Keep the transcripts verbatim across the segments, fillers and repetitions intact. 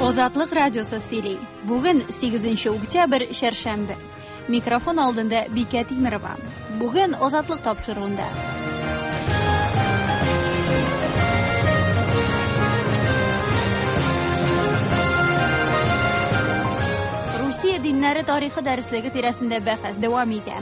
Азатлык радиосы сөйли. Бүген сигезенче октябрь, чәршәмбе. Микрофон алдында Бикә Тимерова. Бүген Азатлык тапшыруында. Русия диннәре тарихы дәреслеге тирәсендә бәхәс дәвам итә.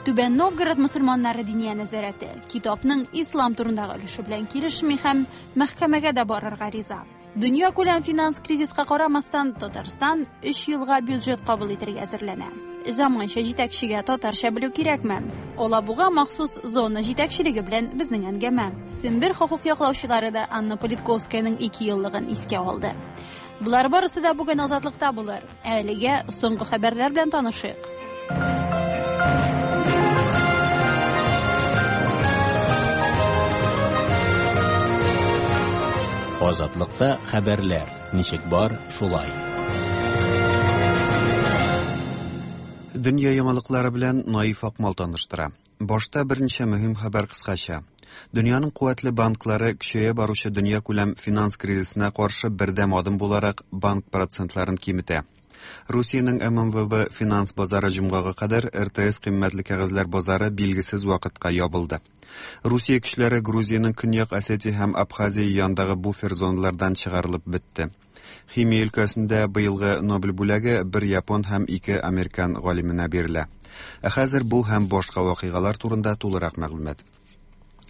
Түбән Новгород мөселманнары диния нәзарәте китапның ислам турындагы өлеше белән килешми һәм мәхкәмәгә дә барырга риза. Дөнья күләм финанс кризиска карамастан, Татарстан өч елга бюджет кабул итәргә әзерләнә. Заманча җитәкчегә татарча белү кирәкме? Алабуга махсус зона җитәкчелеге белән безнең әңгәмә. Сембер хокук яклаучылары да Анна Политковскаяның ике еллыгын искә алды. Болар барысы да бүген Азатлыкта булыр. Әлегә соңгы хәбәрләр белән танышыйк. Азатлыкта хәбәрләр ничек бар, шулай. Дөнья яңалыклары белән Наиф Акмал таныштыра. Башта берничә мөһим хәбәр кыскача. Дөньяның куәтле банклары көчәя баручы дөнья күләм финанс кризисына каршы бердәм адым буларак банк процентларын киметә. Русиянең эм эм вэ бэ финанс базары җомгага кадәр эр тэ эс кыйммәтле кәгазьләр базары билгесез вакытка ябылды. Русия көчләре Грузиянең Көньяк Осетия һәм Абхазия янындагы буфер зоналардан чыгарылып бетте. Химия өлкәсендә быелгы Нобель бүләге бер япон һәм ике американ галименә бирелә. Ә хәзер бу һәм башка вакыйгалар турында тулырак мәгълүмат.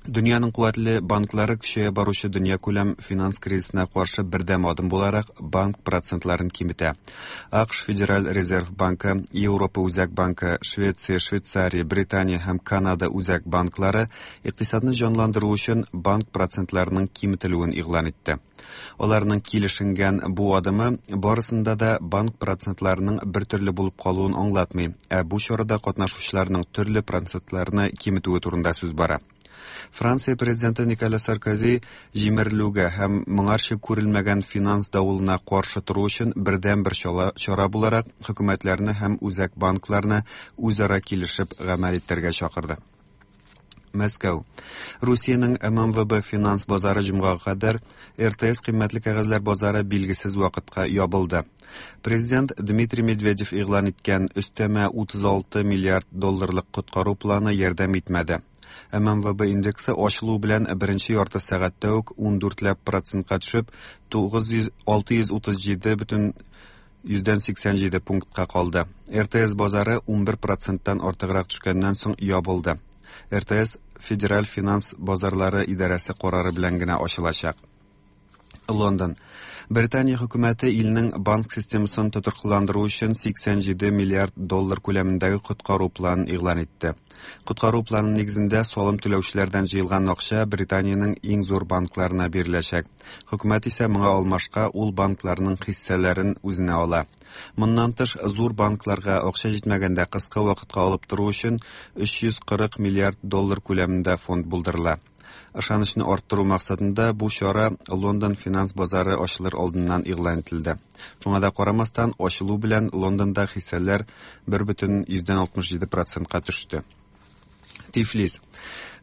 Дөньяның куәтле банклары көчәя баручы дөнья күләм финанс кризисына каршы бердәм адым буларак банк процентларын киметә. АКШ Федераль Резерв банкы, Европа Үзәк банкы, Швеция, Швейцария, Британия һәм Канада Үзәк банклары икътисадны җанландыру өчен банк процентларының киметелүен игълан итте. Аларның килешенгән бу адымы барысында да банк процентларының бер төрле булып калуын аңлатмый, ә бу чарада катнашучыларның төрле процентларны киметүе турында сүз бара. Франция президенты Николя Саркози җимерелүгә һәм моңарчы күрелмәгән финанс давылына каршы тору өчен бердәм бер чала, чара буларак хөкүмәтләрне һәм үзәк банкларны үзара килешеп гамәл итәргә чакырды. Мәскәү. Русиянең эм эм вэ бэ финанс базары җомгага кадәр эр тэ эс кыйммәтле кәгазьләр базары билгесез вакытка ябылды. Президент Дмитрий Медведев игълан иткән өстәмә утыз алты миллиард долларлык коткару планы ярдәм итмәде. эм эм вэ бэ индексы ачылу белән беренче ярты сәгатьтә үк ундүртләп процентка төшеп, тугыз йөз, алты йөз утыз җиде бөтен йөздән сиксән җиде пунктка калды. эр тэ эс базары унбер проценттан артыграк төшкәннән соң ябылды. эр тэ эс Федераль финанс базарлары идарәсе карары белән генә ачылачак. Лондон. Британия хөкүмәте илнең банк системасын тотрыклыландыру өчен сиксән җиде миллиард доллар күләмендәге коткару планын игълан итте. Коткару планы нигезендә салым түләүчеләрдән җыелган акча Британиянең иң зур банкларына биреләчәк. Хөкүмәт исә моңа алмашка ул банкларның хиссәләрен үзенә ала. Моннан тыш, зур банкларга акча җитмәгәндә кыска вакытка алып тору өчен өч йөз кырык миллиард доллар күләмендә фонд булдырыла. Ышанычны арттыру максатында бу чара Лондон финанс базары ачылыр алдыннан игълан ителде. Шуңа да карамастан, ачылу белән Лондонда хиссәләр бер бөтен йөздән алтмыш җиде процентка төште. Тифлис.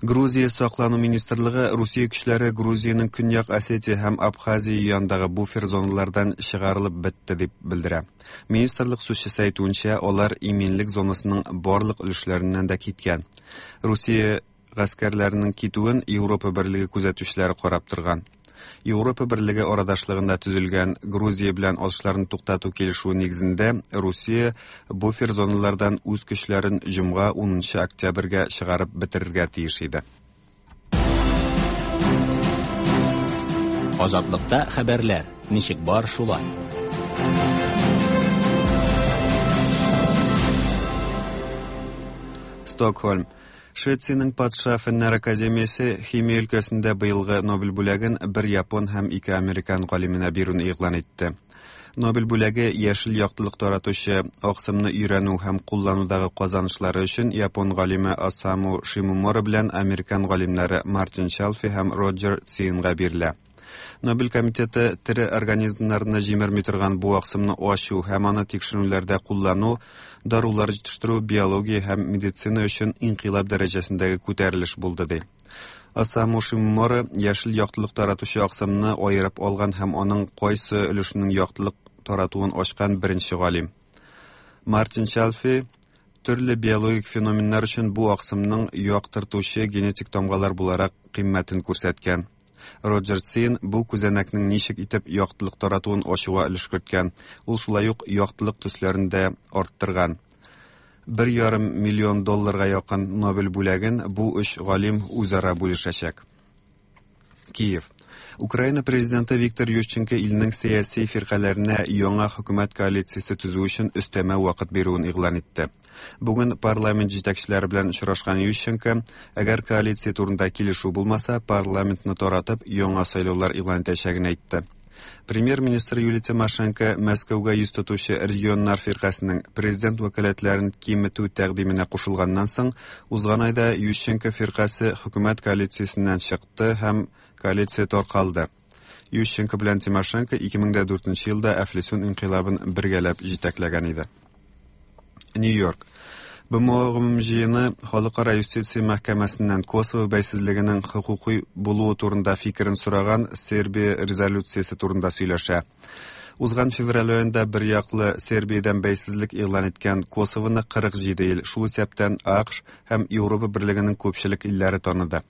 Грузия саклану министрлыгы Русия көчләре Грузиянең Көньяк Осетия һәм Абхазия янындагы буфер зоналардан чыгарылып бетте дип белдерә. Министрлык сүзчесе әйтүенчә, алар иминлек зонасының барлык өлешләреннән дә киткән. Русия гаскәрләренең китүен Европа Берлеге күзәтүчеләре карап торган. Европа Берлеге арадашлыгында төзелгән Грузия белән атышларны туктату килешүе нигезендә Русия буфер зоналардан үз көчләрен җомга унынчы октябрьгә чыгарып бетерергә тиеш иде. Азатлыкта хәбәрләр ничек бар, шулай. Стокһольм. Швециянең Патша фәннәр академиясе химия өлкәсендә быелгы Нобель бүләген бер япон һәм ике американ галименә бирүне игълан итте. Нобель бүләге яшел яктылык таратучы аксымны өйрәнү һәм кулланудагы казанышлары өчен япон галиме Осаму Шимомура белән американ галимнәре Мартин Чалфи һәм Роджер Цинга бирелә. Нобель комитеты тере организмнарны җимерми торган бу аксымны ачу һәм аны тикшеренүләрдә куллану, дарулар җитештерү, биология һәм медицина өчен инкыйлаб дәрәҗәсендәге күтәрелеш булды, ди. Осаму Шимомура яшел яктылык таратучы аксымны аерып алган һәм аның кайсы өлешенең яктылык таратуын ачкан беренче галим. Мартин Чалфи төрле биологик феноменнар өчен бу аксымның яктыртучы генетик тамгалар буларак кыйммәтен күрсәткән. Роджер Цин бу күзәнәкнең ничек итеп яктылык таратуын ачуга өлеш керткән. Ул шулай ук яктылык төсләрен дә арттырган. Бер ярым миллион долларга якын Нобель бүләген бу өч галим үзара бүлешәчәк. Киев. Украина президенты Виктор Ющенко илнең сәяси фиркаләренә яңа хөкүмәт коалициясе төзү өчен өстәмә вакыт бирүен игълан итте. Бүген парламент җитәкчеләре белән очрашкан Ющенко, әгәр коалиция турында килешү булмаса, парламентны таратып яңа сайлаулар игълан итәчәген әйтте. Премьер-министр Юлия Тимошенко Мәскәүгә йөз тотучы регионнар фиркасының президент вәкаләтләрен киметү тәкъдименә кушылганнан соң, узган айда Ющенко фиркасе хөкүмәт коалициясеннән чыкты һәм коалиция таркалды. Ющенко белән Тимошенко ике мең дүртенче елда әфлисун инкыйлабын бергәләп җитәкләгән иде. Нью-Йорк. Б М О гомум җыены Халыкара юстиция мәхкәмәсеннән Косово бәйсезлегенең хокукый булуы турында фикерен сораган Сербия резолюциясе турында сөйләшә. Узган февраль аенда бер яклы Сербиядән бәйсезлек игълан иткән Косовоны кырык җиде ил, шул исәптән А К Ш һәм Европа Берлегенең күпчелек илләре таныды.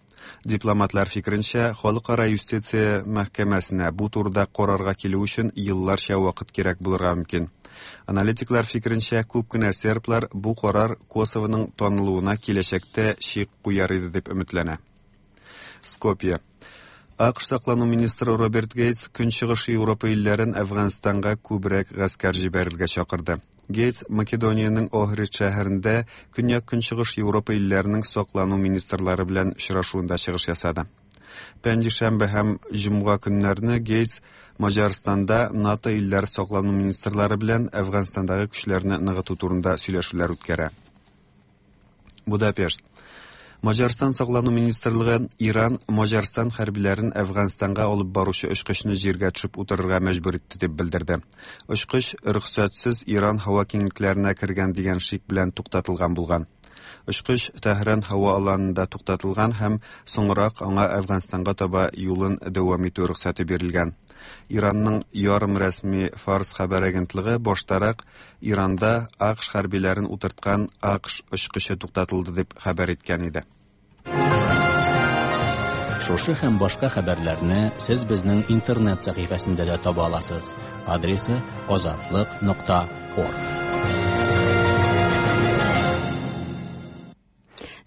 Дипломатлар фикеренчә, Халыкара юстиция мәхкәмәсенә бу турыда карарга килү өчен елларча вакыт кирәк булырга мөмкин. Аналитиклар фикеренчә, күп кенә серблар бу карар Косовоның танылуына киләчәктә чик куяр иде дип өметләнә. Скопье. А К Ш саклану министры Роберт Гейтс Көнчыгыш Европа илләрен Әфганстанга күбрәк гаскәр җибәрергә чакырды. Гейтс Македониянең Охрид шәһәрендә Көньяк-Көнчыгыш Европа илләренең саклану министрлары белән очрашуында чыгыш ясады. Пәнҗешәмбе һәм җомга көннәрне Гейтс Маҗарстанда НАТО илләре саклану министрлары белән Әфганстандагы көчләрне ныгыту турында сөйләшүләр үткәрә. Будапешт. Маҗарстан саклану министрлыгы Иран Маҗарстан хәрбиләрен Әфганстанга алып баручы очкычны җиргә төшеп утырырга мәҗбүр итте дип белдерде. Очкыч рөхсәтсез Иран һава киңлекләренә кергән дигән шик белән туктатылган булган. Очкыч Тәһран һава аланында туктатылган һәм соңрак аңа Әфганстанга таба юлын дәвам итү рөхсәте бирелгән. Иранның ярым рәсми Фарс хәбәр агентлыгы баштарак Иранда А К Ш хәрбиләрен утырткан А К Ш очкычы туктатылды дип хәбәр иткән иде. Шушы һәм башка хәбәрләрне сез безнең интернет сәхифәсендә дә таба аласыз. Адресы азатлык нокта орг.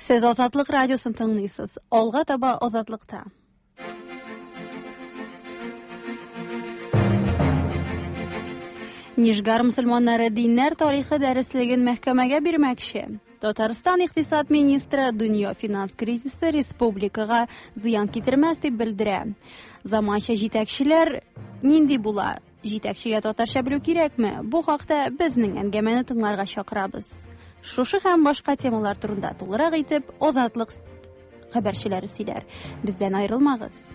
Сез Азатлык радиосын тыңлыйсыз. Алга таба Азатлыкта. Нижгар мөселманнары диннәр тарихы дәреслеген мәхкәмәгә бирмәкче. Татарстан икътисад министры дөнья финанс кризисы республикага зыян китермәс дип белдерә. Заманча җитәкчеләр нинди була? Җитәкчегә татарча белү кирәкме? Бу хакта безнең әңгәмәне тыңларга чакырабыз. Шушы һәм башка темалар турында тулырак итеп Азатлык хәбәрчеләре сөйләр. Бездән аерылмагыз.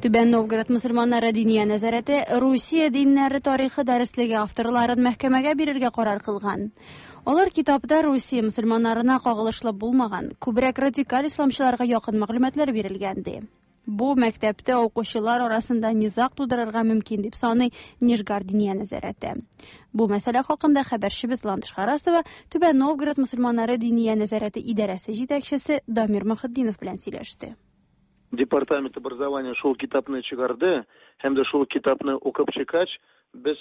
Түбән Новгород мөселманнары диния нәзарәте Русия диннәре тарихы дәреслеге авторларын мәхкәмәгә бирергә карар кылган. Алар китапта Русия мөселманнарына кагылышлы булмаган, күбрәк радикаль исламчыларга якын мәгълүматлар бирелгән ди. Бу мәктәптә укучылар арасында низаг тудырырга мөмкин дип саный Нижгар диния нәзарәте. Бу мәсьәлә хакында хәбәрчебез Ландыш Харасова Түбән Новгород мөселманнары диния нәзарәте идарәсе җитәкчесе Дамир Мөхетдинов белән сөйләште. Департамент образования шул китапны чыгарды, һәм дә шул китапны укып чыккач, без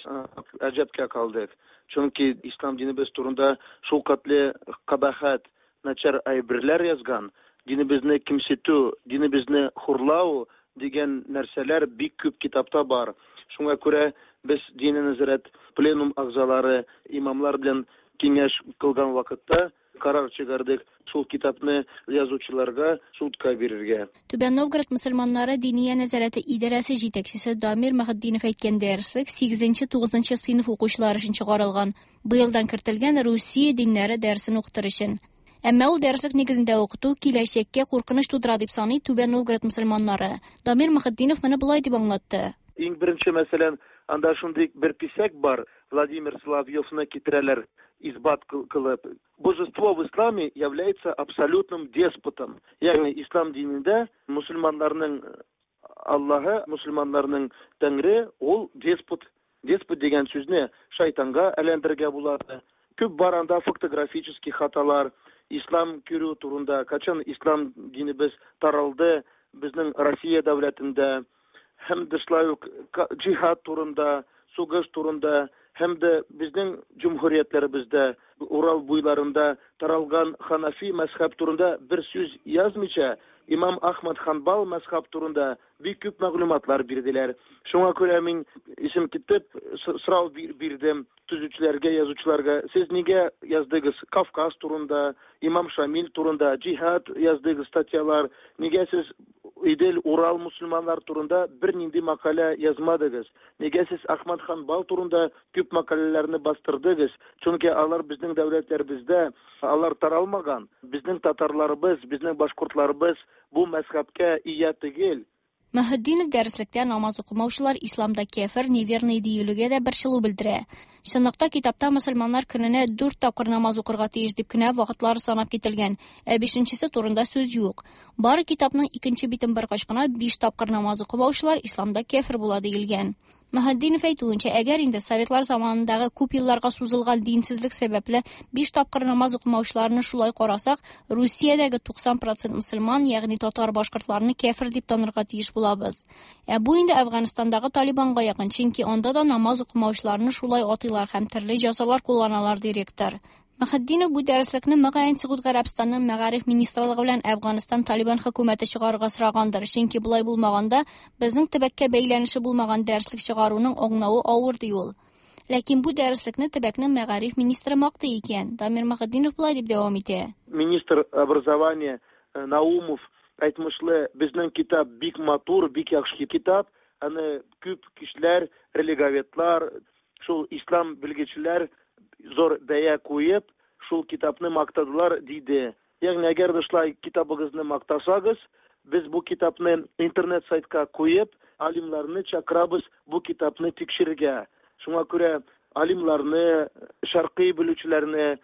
гаҗәпкә калдык. Чөнки ислам динебез турында шул катле кабахат, начар әйберләр язган, динебезне кимсетү, динебезне хурлау дигән нәрсәләр бик күп китапта бар. Шуңа күрә без дини нәзарәт пленум әгъзалары, имамлар белән киңәш кылган вакытта карар чыгардык шул китапны язучыларга судка бирергә. Түбән Новгород мөселманнары диния нәзарәте идарәсе җитәкчесе Дамир Мөхетдинов әйткән дәреслек сигезенче тугызынчы сыйныф укучылары өчен чыгарылган. Быелдан кертелгән Русия диннәре дәресен укытыр өчен. Әмма ул дәреслек нигезендә укыту киләчәккә куркыныч тудыра дип саный Түбән Новгород мөселманнары. Дамир Мөхетдинов моны болай дип аңлатты. Иң беренче, мәсәлән, анда шундый бер кисәк бар. Владимир Соловьевны китерәләр исбат кылып. Божество в исламе является абсолютным деспотом. Ягъни ислам динендә мусульманнарның Аллаһы, мусульманнарның Тәңре ул деспот. Деспот дигән сүзне шайтанга әйләндерергә була. Күп бар анда фактографический хаталар, ислам керү турында, качан ислам динебез таралды безнең Россия дәүләтендә, һәм дә шулай ук джихад турында, сугыш турында, һәм дә безнең җөмһүриятләребездә, Урал буйларында таралган Ханафи мәзһәб турында бер сүз язмыйча, Имам Ахмад Ханбал мәзһәб турында бик күп мәгълүматлар бирделәр. Шуңа күрә мин исем китеп сорау бирдем төзүчеләргә, язучыларга. Сез нигә яздыгыз Кавказ турында, Имам Шамил турында, джихад яздыгыз статьялар? Нигә сез Идел, Урал мусульманнар турында бер нинди мәкалә язмадыгыз? Нигә сез Ахмад Ханбал турында күп мәкаләләрне бастырдыгыз? Чөнки алар безнең дәүләтләребездә, алар таралмаган. Безнең татарларыбыз, безнең башкортларыбыз бу мәзһәбкә ия түгел. Мөхетдинов дәреслектә намаз укымаучылар исламда кәфер, неверный диелүгә дә борчылу белдерә. Чынлыкта китапта мөселманнар көненә дүрт тапкыр намаз укырга тиеш дип кенә вакытлары санап кителгән, ә бишенчесе турында сүз юк. Бары китапның икенче битен баргач кына биш тапкыр намаз укымаучылар исламда кәфер була диелгән. Мөхетдинов әйтүенчә, әгәр инде советлар заманындагы күп елларга сузылган динсезлек сәбәпле биш тапкыр намаз укымаучыларны шулай карасак, Русиядәге туксан процент мөселман, ягъни татар башкортларны кәфер дип танырга тиеш булабыз. Ә бу инде Әфганстандагы Талибанга якын, чөнки анда да намаз укымаучыларны шулай атыйлар һәм төрле җәзалар кулланалар, ди ректор. Мөхетдинов бу дәреслекне мөгаен Согуд Гарәбстанының мәгариф министрлыгы белән Әфганстан Талибан хөкүмәте чыгарырга сорагандыр, чөнки болай булмаганда безнең төбәккә бәйләнеше булмаган дәреслек чыгаруның аңлавы авыр, ди ул. Ләкин бу дәреслекне төбәкнең мәгариф министры мактый икән. Дамир Мөхетдинов болай дип дәвам итә. Министр образования Наумов әйтмешле, безнең китап бик матур, бик яхшы китап, аны күп кешеләр, религоведлар, шул ислам белгечләр зор бәя куеп, шул китапны мактадылар, диде. Ягъни әгәр дә шулай китабыгызны мактасагыз, без бу китапны интернет сайтка куеп, алимларны чакырабыз бу китапны тикшерергә. Шуңа күрә алимларны, шәркый белүчеләрне,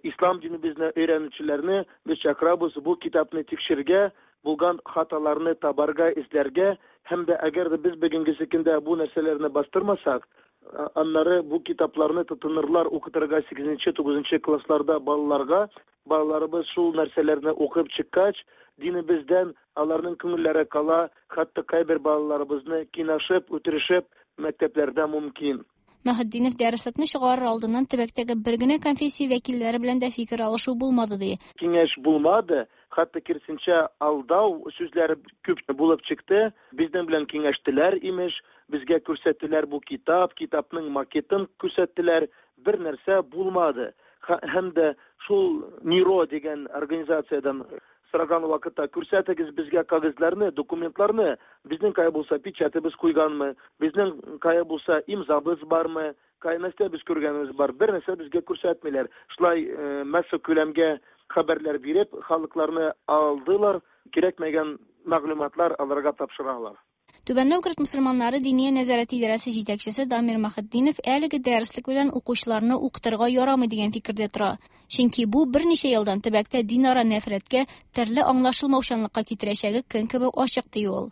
ислам динебезне өйрәнүчеләрне без чакырабыз бу китапны тикшерергә, булган хаталарны табарга, эзләргә, һәм дә әгәр дә без бүгенге көндә бу нәрсәләрне бастырмасак, аннары бу китапларны тотынырлар укытырга сигезенче, тугызынчы классларда балаларга. Балаларыбыз шул нәрсәләрне укып чыккач, динебездән аларның күңелләре кала, хәтта кайбер балаларыбызны кинашып, үтерешеп мәктәпләрдә мөмкин. Мөхетдинов дәреслекне чыгарыр алдыннан төбәктәге бер генә конфессия вәкилләре белән дә фикер алышу булмады, ди. Киңәш булмады, хәтта киресенчә алдау сүзләре күп булып чыкты. Безнең белән киңәштеләр имеш, безгә күрсәттеләр бу китап, китапның макетын күрсәттеләр, бер нәрсә булмады. Һәм дә шул Ниро дигән организациядән сораган вакытта күрсәтегез безгә кәгазьләрне, документларны, безнең кая булса печатебез куйганмы, безнең кая булса имзабыз бармы, кая нәрсә без күргәнебез бар, бер нәрсә безгә күрсәтмиләр. Шулай масса күләмгә хәбәрләр биреп, халыкларны алдылар, кирәкмәгән мәгълүматлар аларга тапшыралар. Түбән Новгород мөселманнары диния нәзарәте идарәсе җитәкчесе Дамир Мөхетдинов әлеге дәреслек белән укучыларны укытырга ярамый дигән фикердә тора. Чөнки бу берничә елдан төбәктә динара нәфрәткә, төрле аңлашылмаучанлыкка китерәчәге көн кебек ачык, ди ул.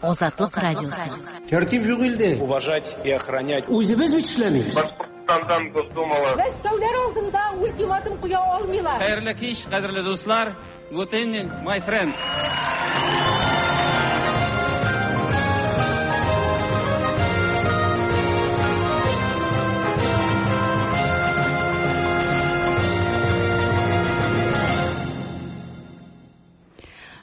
Азатлык радиосы. Тәртип юк илдә. Уважать и охранять. Үзебез бит эшләмибез. Башкортстандан Госдумала. Мәскәүләр алдында ультиматум куя алмыйлар. Хәерле кич, кадерле дуслар. Good evening, my friends.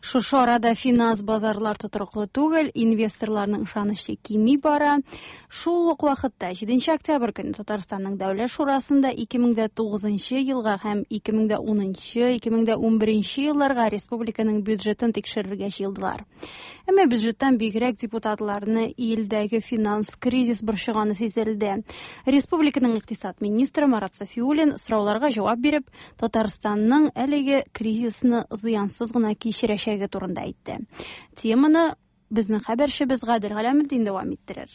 Шушы арада финанс базарлар тотрыклы түгел, инвесторларның ышанычы кими бара. Шул ук вакытта җиденче октябрь көне Татарстанның Дәүләт Шурасында ике мең дә тугызынчы елга һәм ике мең дә унынчы, ике мең дә унберенче елларга республиканың бюджетын тикшерергә җыелдылар. Әмма бюджеттан бигрәк депутатларны илдәге финанс кризис борчыганы сизелде. Республиканың икътисад министры Марат Сафиуллин сорауларга җавап биреп, Татарстанның әлеге кризисны зыянсыз гына кичерәчәге турында әйтте. Теманы Безнең хәбәрчебез Гадел Галәметдин дәвам иттерер.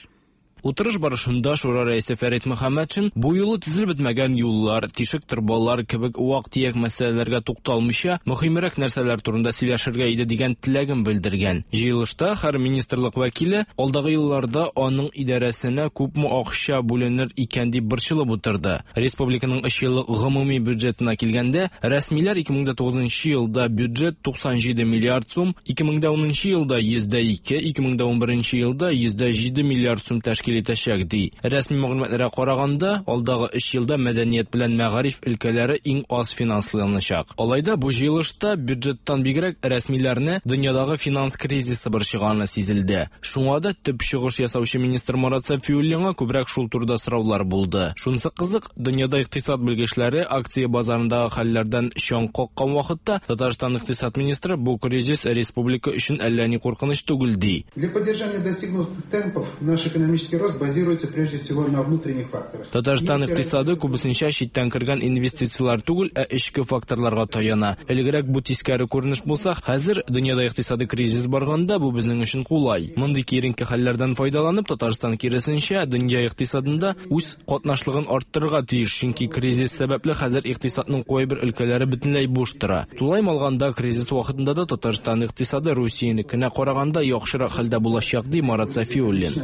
Утырыш барышында Шура рәисе Фәрит Мөхәммәтшин бу юлы төзелеп бетмәгән юллар, тишек торбалар кебек вак-төяк мәсьәләләргә тукталмыйча, мөһимрәк нәрсәләр турында сөйләшергә иде дигән теләген белдергән. Җыелышта һәр министрлык вәкиле алдагы елларда аның идарәсенә күпме акча бүленер икән дип борчылып утырды. Республиканың өч еллык гомуми бюджетына килгәндә, рәсмиләр ике мең тугызынчы елда бюджет туксан җиде миллиард сум, ике мең унынчы елда йөз дә ике, ике мең унберенче елда йөз дә җиде миллиард сум тәшкил итәчәк ди. Рәсми мәгълүматларга караганда, алдагы өч елда мәдәният белән мәгариф өлкәләре иң аз финансланачак. Алай да бу җыелышта бюджеттан бигрәк рәсмиләрне дөньядагы финанс кризисы борчыганы сизелде. Шуңа да төп чыгыш ясаучы министр Марат Сафиуллинга күбрәк шул турыда сораулар булды. Шунысы кызык, дөньяда икътисад белгечләре акция базарындагы хәлләрдән чаң каккан вакытта Татарстан икътисад министры бу кризис республика өчен әллә ни куркыныч түгел ди. Для поддержания достигнутых темпов наш экономический рост базируется прежде всего на внутренних факторах. Татарстан икътисады күбесенчә читтән кергән инвестицияләр түгел, ә эчке факторларга таяна. Элегрәк бу тискәре күренеш булса, хәзер дөньяда икътисади кризис барганда бу безнең өчен кулай. Мондый киеренке хәлләрдән файдаланып, Татарстан киресенчә дөнья икътисадында үз катнашлыгын арттырырга тиеш, чөнки кризис сәбәпле хәзер икътисадның кайбер өлкәләре бөтенләй буш тора. Тулаем алганда, кризис вакытында да Татарстан икътисады Русиянекенә караганда яхшырак хәлдә булачак, ди Марат Сафиуллин.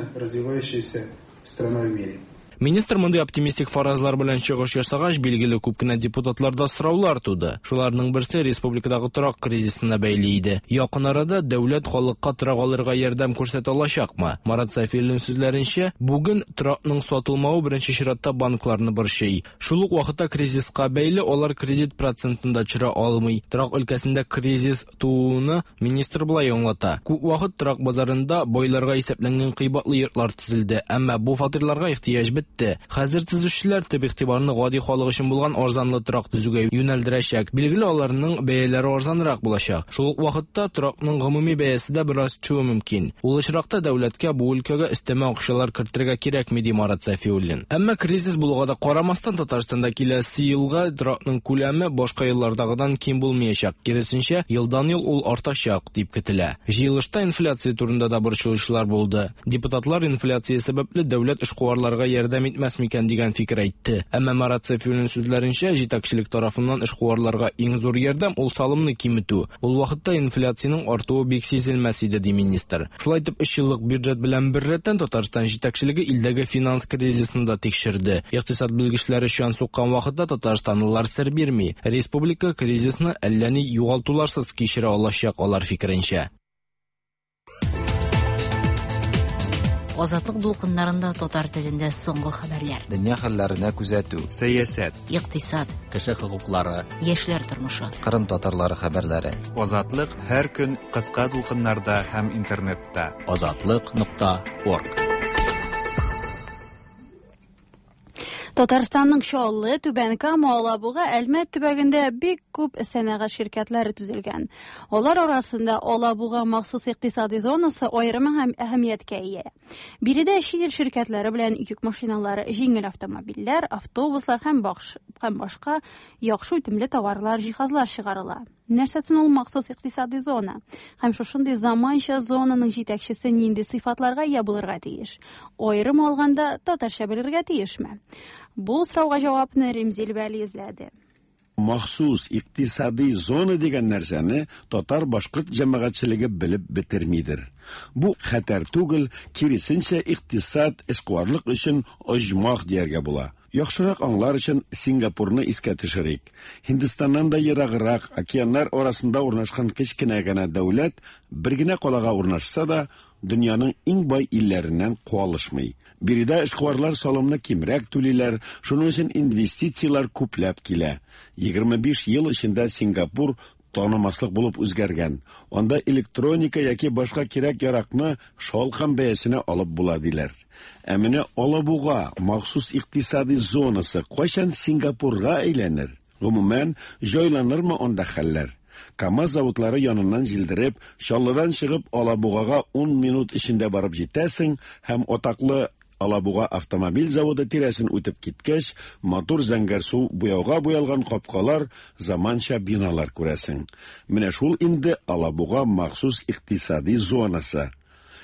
Страна в мире. Министр мондый оптимистик фаразлар белән чыгыш ясагач, билгеле күп кенә депутатларда сораулар туды. Шуларның берсе республикадагы торак кризисына бәйле иде. Якын арада дәүләт халыкка торак алырга ярдәм күрсәтә алачакмы? Марат Сафиуллин сүзләренчә, бүген торакның сатылмавы беренче чиратта банкларны борчый. Шул ук вакытта кризиска бәйле алар кредит процентын да төшерә алмый. Торак өлкәсендә кризис тууны министр болай аңлата. Күп вакыт торак базарында байларга исәпләнгән кыйбатлы йортлар төзелде, әмма бу фатирларга ихтыяҗ бетте. Хәзер төзүчеләр төп игътибарны гади халык өчен булган арзанлы торак төзүгә юнәлдерәчәк. Билгеле, аларның бәяләре арзанрак булачак. Шул ук вакытта торакның гомуми бәясе дә бераз төшүе мөмкин. Ул очракта дәүләткә бу өлкәгә өстәмә акчалар кертергә кирәкми, ди Марат Сафиуллин. Әмма кризис булуга да карамастан, Татарстанда киләсе елга торакның күләме башка еллардагыдан ким булмаячак. Киресенчә, елдан-ел ул артачак дип көтелә. Җыелышта инфляция турында да борчылучылар булды. Депутатлар инфляция сәбәпле дәүләт эшкуарларга ярдәм итмәс микән дигән фикер әйтте. Әмма Марат Сафиуллин сүзләренчә, җитәкчелек тарафыннан эшкуарларга иң зур ярдәм ул салымны киметү. Ул вакытта инфляциянең артуы бик сизелмәс иде, ди министр. Шулай итеп, өч еллык бюджет белән беррәттән Татарстан җитәкчелеге илдәге финанс кризисын да тикшерде. Икътисад белгечләре чан суккан вакытта татарстанлылар сер бирми. Республика кризисны әллә ни югалтуларсыз кичерә алачак, алар фикеренчә. Азатлык дулкыннарында татар телендә соңгы хәбәрләр. Дөнья хәлләренә күзәтү, сәясәт, икътисад, кеше хокуклары, яшьләр тормышы, Кырым татарлары хәбәрләре. Азатлык һәр көн кыска дулкыннарда һәм интернетта. Азатлык нокта орг. Татарстанның Чаллы, Түбән Кама, Алабуга, Әлмәт төбәгендә бик күп сәнәгать ширкәтләре төзелгән. Алар арасында Алабуга махсус икътисади зонасы аерым һәм әһәмияткә ия. Биредә чит ил ширкәтләре белән йөк машиналары, җиңел автомобильләр, автобуслар һәм һәм башка яхшы үтемле товарлар, җиһазлар чыгарыла. Нәрсәсен ул махсус икътисади зона? Һәм шушындый заманча зонаның җитәкчесе нинди сыйфатларга ия булырга тиеш? Аерым алганда татарча белергә тиешме? Бу сорауга җавапны Римзил Вәли эзләде. Махсус икътисади зона дигән нәрсәне татар-башкорт җәмәгатьчелеге белеп бетермидер. Бу хәтәр түгел, киресенчә икътисад эшкуарлык өчен оҗмах дияргә була. Яхшырак аңлар өчен Сингапурны искә төшерик. Һиндстаннан да ераграк, океаннар арасында урнашкан кечкенә генә дәүләт бер генә калага урнашса да, дөньяның иң бай илләреннән куалышмый. Биредә эшкуарлар салымны кимрәк түлиләр, шуның өчен инвестицияләр күпләп килә. егерме биш ел эчендә Сингапур танымаслык булып үзгәргән. Анда электроника яки башка кирәк-яракны шалкан бәясенә алып була диләр. Ә менә Алабуга махсус икътисади зонасы кайчан Сингапурга әйләнер? Гомумән, җайланырмы анда хәлләр? КАМАЗ заводлары яныннан җилдереп, Чаллыдан чыгып Алабугага ун минут эчендә барып җитәсең һәм атаклы Алабуга автомобиль заводы тирәсен үтеп киткәч, матур зәңгәрсу буяуга буялган капкалар, заманча биналар күрәсең. Менә шул инде Алабуга махсус икътисади зонасы.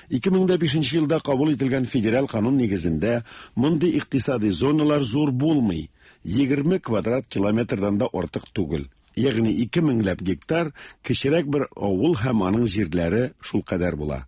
ике мең дә бишенче елда кабул ителгән федераль канун нигезендә мондый икътисади зоналар зур булмый, егерме квадрат километрдан да артык түгел. Ягъни ике меңләп гектар кечерәк бер авыл һәм аның җирләре шул кадәр була.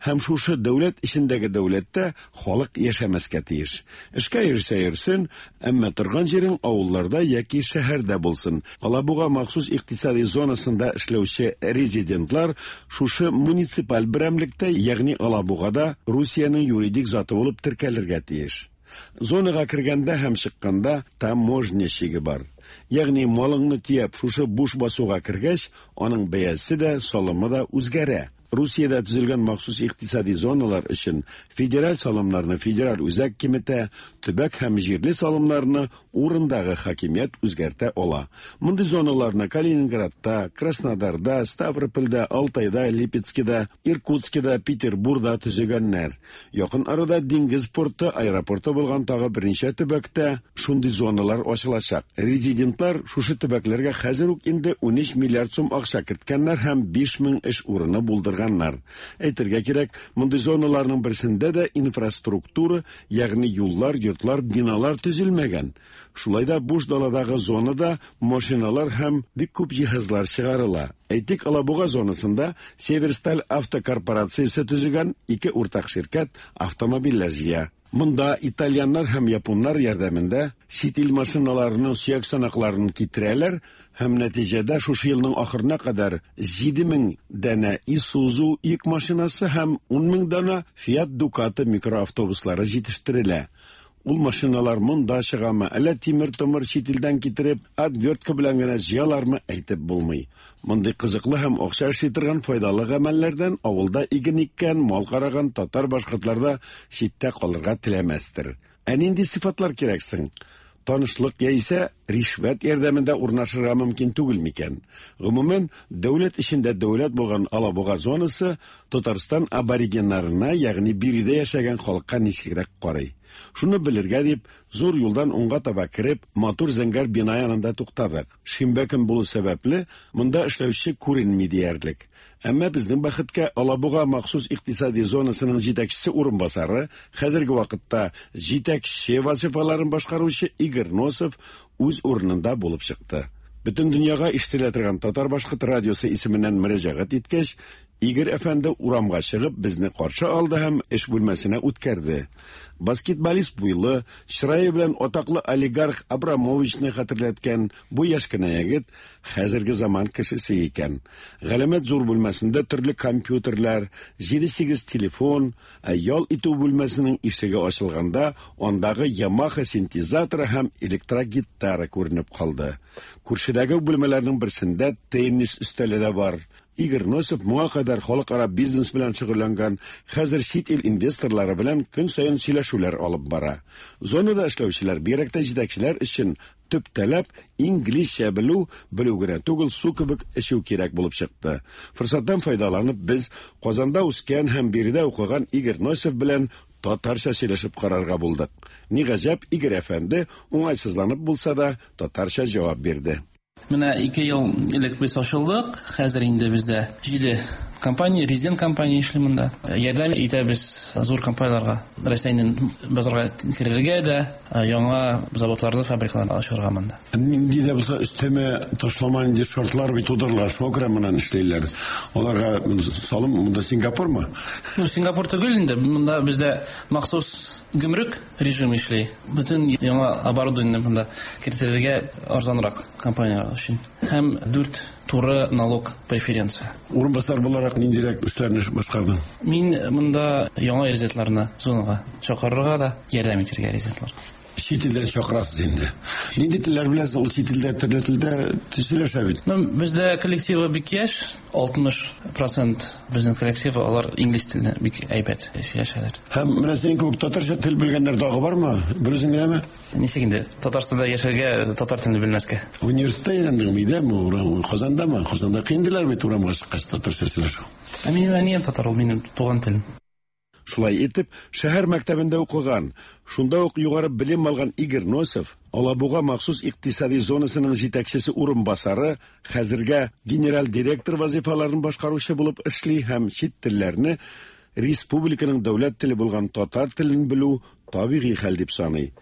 Һәм шушы дәүләт эчендәге дәүләттә халык яшәмәскә тиеш. Эшкә йөрсә йөрсен, әмма торган җирең авылларда яки шәһәрдә булсын. Алабуга махсус икътисади зонасында эшләүче резидентлар шушы муниципаль берәмлектә, ягъни Алабугада Русиянең юридик заты булып теркәлергә тиеш. Зонага кергәндә һәм чыкканда таможня чиге бар. Ягъни малыңны төяп шушы буш басуга кергәч, аның бәясе дә, салымы да үзгәрә. Русиядә төзелгән махсус икътисади зоналар өчен федераль салымнарны федераль үзәк киметә, төбәк һәм җирле салымнарны урындагы хакимият үзгәртә ала. Мондый зоналарны Калининградта, Краснодарда, Ставропольдә, Алтайда, Липецкида, Иркутскида, Петербургда төзегәннәр. Якын арада диңгез порты, аэропорты булган тагы берничә төбәктә шундый зоналар ачылачак. Резидентлар шушы төбәкләргә хәзер үк инде унөч миллиард сум акча керткәннәр һәм биш мең эш урыны булдырганнар. Әйтергә кирәк, мондый зоналарның берсендә дә инфраструктура, ягъни юллар, йортлар, биналар төзелмәгән. Шулай да буш даладагы зонада машиналар һәм бик күп җиһазлар чыгарыла. Әйтик, Алабуга зонасында Северсталь автокорпорациясе төзегән ике уртак ширкәт автомобильләр җыя. Монда итальяннар һәм японнар ярдәмендә чит ил машиналарының сөяк санакларын китерәләр һәм нәтиҗәдә шушы елның ахырына кадәр җиде мең данә Isuzu йөк машинасы һәм ун мең данә Fiat Ducato микроавтобуслары җитештерелә. Ул машиналар монда чыгамы, әллә тимер-томыр чит илдән китереп, отвертка белән генә җыялармы, әйтеп булмый. Мондый кызыклы һәм акча эшли торган файдалы гамәлләрдән авылда иген иккән, мал караган татар-башкортлар да читтә калырга теләмәстер. Ә нинди сыйфатлар кирәк соң? Танышлык яисә ришвәт ярдәмендә урнашырга мөмкин түгел микән? Гомумән, дәүләт эчендә дәүләт булган Алабуга зонасы Татарстан аборигеннарына, ягъни биредә яшәгән халыкка ничегрәк карый? Шуны белергә дип, зур юлдан уңга таба кереп, матур зәңгәр бина янында туктадык. Шимбә көн булу сәбәпле, монда эшләүче күренми диярлек. Әмма безнең бәхеткә Алабуга махсус икътисади зонасының җитәкчесе урынбасары, хәзерге вакытта җитәкче вазифаларын башкаручы Игорь Носов үз урынында булып чыкты. Бөтен дөньяга ишетелә торган Татар-башкорт радиосы исеменнән мөрәҗәгать иткәч, Игорь әфәнде урамга чыгып безне каршы алды һәм эш бүлмәсенә үткәрде. Баскетболист буйлы, чырае белән атаклы олигарх Абрамовичны хәтерләткән бу яшь кенә егет хәзерге заман кешесе икән. Галәмәт зур бүлмәсендә төрле компьютерлар, җиде-сигез телефон, ә ял итү бүлмәсенең ишеге ачылганда андагы Yamaha синтезаторы һәм электрогитара күренеп калды. Күршедәге бүлмәләрнең берсендә теннис өстәле дә бар. Игорь Носов моңа кадәр халыкара бизнес белән шөгыльләнгән, хәзер чит ил инвесторлары белән көн саен сөйләшүләр алып бара. Зонада эшләүчеләр, бигрәк тә җитәкчеләр өчен төп таләп инглизчә белү, белү генә түгел, су кебек эчү кирәк булып чыкты. Форсаттан файдаланып, без Казанда үскән һәм биредә укыган Игорь Носов белән татарча сөйләшеп карарга булдык. Ни гаҗәп, Игорь әфәнде уңайсызланып булса да татарча җавап бирде. Менә ике ел элек без ачылдык. Хәзер инде бездә җиде компания, резидент компания эшли монда. Ярдәм итәбез зур компанияләргә, Россиянең базарга керергә дә, яңа заводларны, фабрикаларны ачарга монда. Нинди дә булса өстәмә ташлама нинди шартлар бит тудырыла, шуңа күрә моннан эшлиләр. Аларга салым монда Сингапурмы? Ну, Сингапур түгел инде. Монда бездә махсус гөмрек режимы эшли. Бөтен яңа оборудование монда кертергә арзанрак компанияләр өчен. Һәм дүрт туры налог преференция. Урынбасар буларак ниндирәк эшләрне башкардың? Мин монда яңа резидентларны зонага чакырырга да ярдәм итәргә резидентлар. Чит илдән чакырасыз инде. Нинди телләр беләсез? Ул чит илдә төрле телдә сөйләшә бит. Ну, бездә коллективы бик яшь, алтмыш процент безнең коллективы алар инглиз телендә бик әйбәт сөйләшәләр. Һәм менә синең кебек татарча тел белгәннәр тагы бармы? Бер үзең генәме? Ничек инде? Татарстанда яшәргә, татар телен белмәскә. Университетта өйрәндеңме, өйдәме, Казандамы? Казанда кыйндылар бит урамга чыккач татарча сөйләшү. Ә минем әнием татар, ул минем туган телем. Шулай итеп, шәһәр мәктәбендә укыган, шунда ук югары белем алган Игорь Носов, Алабуга махсус икътисади зонасының җитәкчесе урынбасары, хәзергә генераль директор вазифаларын башкаручы булып эшли һәм чит телләрне республиканың дәүләт теле булган татар телен белү табигый хәл дип саный.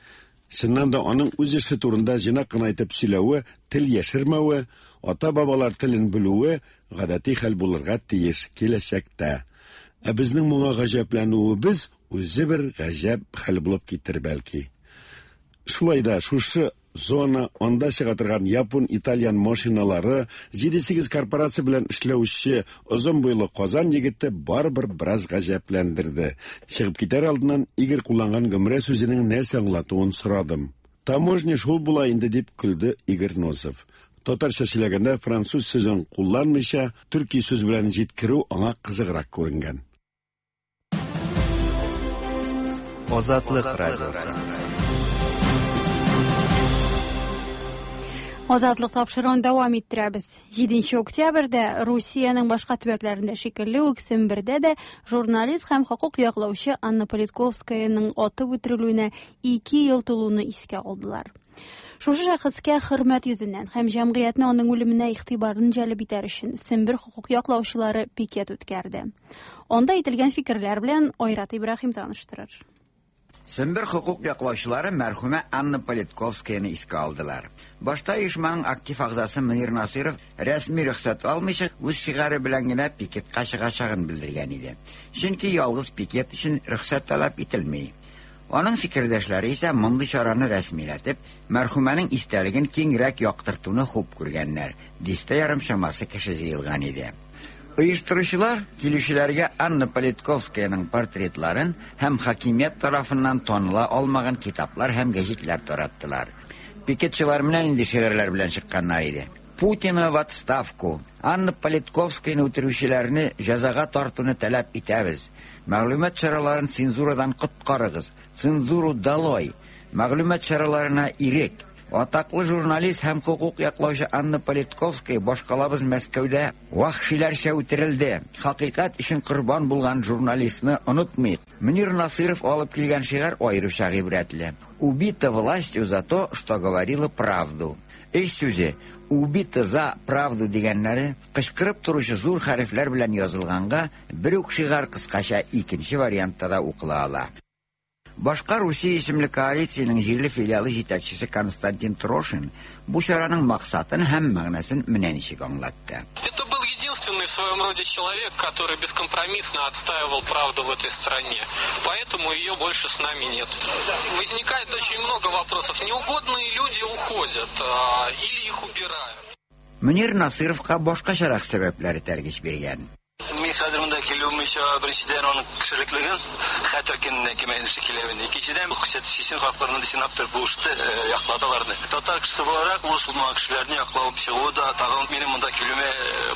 Чыннан да аның үз эше турында җыйнак кына итеп сөйләве, тел яшермәве, ата-бабалар телен белүе гадәти хәл булырга тиеш киләчәктә. Ә безнең моңа гаҗәпләнүебез үзе бер гаҗәп хәл булып китер бәлки. Шулай да шушы зона, анда чыга торган япон, итальян машиналары, җиде-сигез корпорация белән эшләүче озын буйлы Казан егете барыбер бераз гаҗәпләндерде. Чыгып китәр алдыннан Игорь кулланган гомрә сүзенең нәрсә аңлатуын сорадым. Таможня шул була инде дип көлде Игорь Носов. Татарча сөйләгәндә француз сүзен кулланмыйча, төрки сүз белән җиткерү аңа кызыграк күренгән. Азатлык радиосы. Азатлык тапшыруын дәвам иттерәбез. Җиденче октябрьдә Русиянең башка төбәкләрендә шикелле үк Сембердә дә журналист һәм хокук яклаучы Анна Политковскаяның атып үтерелүенә ике ел тулуны искә алдылар. Шушы шәхескә хөрмәт йөзеннән һәм җәмгыятьне аның үлеменә игътибарын җәлеп итәр өчен Сембер хокук яклаучылары пикет үткәрде. Анда әйтелгән фикерләр белән Айрат Ибраһим таныштырыр. Сембер хокук яклаучылары мәрхүмә Анна Политковскаяны искә алдылар. Башта оешманың актив әгъзасы Мөнир Насыйров рәсми рөхсәт алмыйча үз шигаре белән генә пикетка чыгачагын белдергән иде. Чөнки ялгыз пикет өчен рөхсәт таләп ителми. Аның фикердәшләре исә мондый чараны рәсмиләтеп, мәрхүмәнең истәлеген киңрәк яктыртуны хуп күргәннәр. Дистә ярым чамасы кеше җыелган иде. Оештыручылар килүчеләргә Анна Политковскаяның портретларын һәм хакимият тарафыннан таныла алмаган китаплар һәм гәҗитләр тараттылар. Пикетчылар менә нинди шигырьләр белән чыкканнар иде. Путина в отставку. Анна Политковскаяны үтерүчеләрне җәзага тартуны таләп итәбез. Мәгълүмат чараларын цензурадан коткарыгыз. Цензуру долой. Мәгълүмат чараларына ирек. Атаклы журналист һәм хокук яклаучы Анна Политковская башкалабыз Мәскәүдә вәхшиләрчә үтерелде. Хакыйкать өчен корбан булган журналистны онытмыйк. Мөнир Насыйров алып килгән шигырь аеруча гыйбрәтле. Убита властью за то, что говорила правду. Эш сүзе убита за правду дигәннәре кычкырып торучы зур хәрефләр белән язылганга бер үк шигырь кыскача икенче вариантта да укыла ала. Башка Русия исемле коалициянең җирле филиалы җитәкчесе Константин Трошин бу чараның максатын һәм мәгънәсен менә ничек аңлатты. Это был единственный в своем роде человек, который бескомпромиссно отстаивал правду в этой стране. Поэтому ее больше с нами нет. Возникает очень много вопросов. Неугодные люди уходят а, или их убирают. Мөнир Насыровка башкачарак сәбәпләр этәргеч биргән. Мин хәзер монда килүемчә беренчедән аның кешелеклеген хәтер көненә кимәнеше киләвен, икенчедән чечен халыкларының сенаптыр булышты яклады аларны. Татар кешесе буларак урыс булмаган кешеләрне яклап чыгу да тагын минем монда килүемә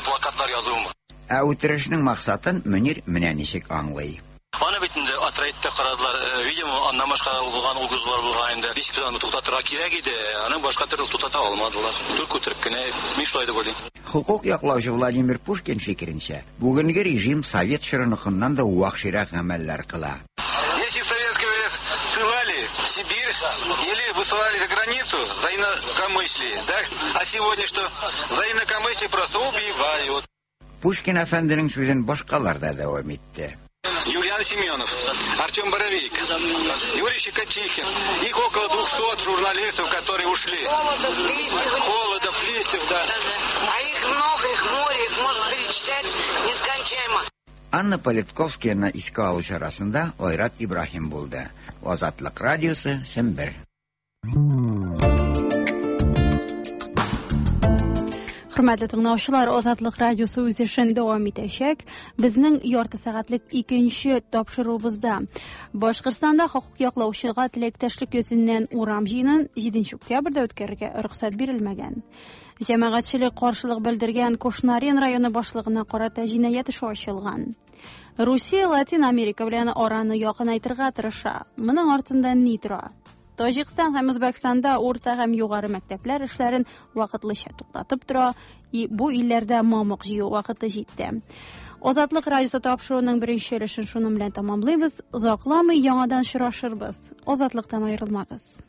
плакатлар язуым. Ә үтерешнең максатын Мөнир менә ничек аңлый. Аны бит инде Атраитта карадылар, видимо, аннан башка булган угрозалар булган инде. Ничек аны туктатырга кирәк иде, аны башка төрле туктата алмадылар. Түр күтәреп кенә, мин шулай дип уйлыйм. Хокук яклаучы Владимир Пушкин фикеренчә, бүгенге режим совет чорыныкыннан да вәхширәк гамәлләр кыла. Если в советское время ссылали в Сибирь или высылали за границу за инакомыслие, да? А сегодня что? За инакомыслие просто убивают. Пушкин әфәнденең сүзен башкалар да дәвам итте. Юлиан Семенов, Артем Боровик, Юрий Щекочихин. Их около двухсот журналистов, которые ушли. Холодов, Листьев. Холодов, Листьев, да. А их много, их море, их можно перечислять нескончаемо. Анна Политковскаяны искә алу чарасында Айрат Ибраһим булды. Азатлык радиосы, Сембер. Хөрмәтле тыңлаучылар, Азатлык радиосы үз эшен дәвам итәчәк. Безнең ярты сәгатьлек икенче тапшыруыбызда Башкортстанда хокук яклаучыга теләктәшлек йөзеннән урам җыенын җиденче октябрьдә үткәрергә рөхсәт бирелмәгән. Җәмәгатьчелек каршылык белдергән Кушнарен районы башлыгына карата җинаять эше ачылган. Русия Латин Америка белән араны якынайтырга тырыша. Моның артында ни тора? Таҗикстан һәм Үзбәкстанда урта һәм югары мәктәпләр эшләрен вакытлыча туктатып тора. И бу илләрдә мамык җыю вакыты җитте. Азатлык радиосы тапшыруының беренче өлешен шуның белән тәмамлыйбыз. Озакламый яңадан очрашырбыз. Азатлыктан аерылмагыз.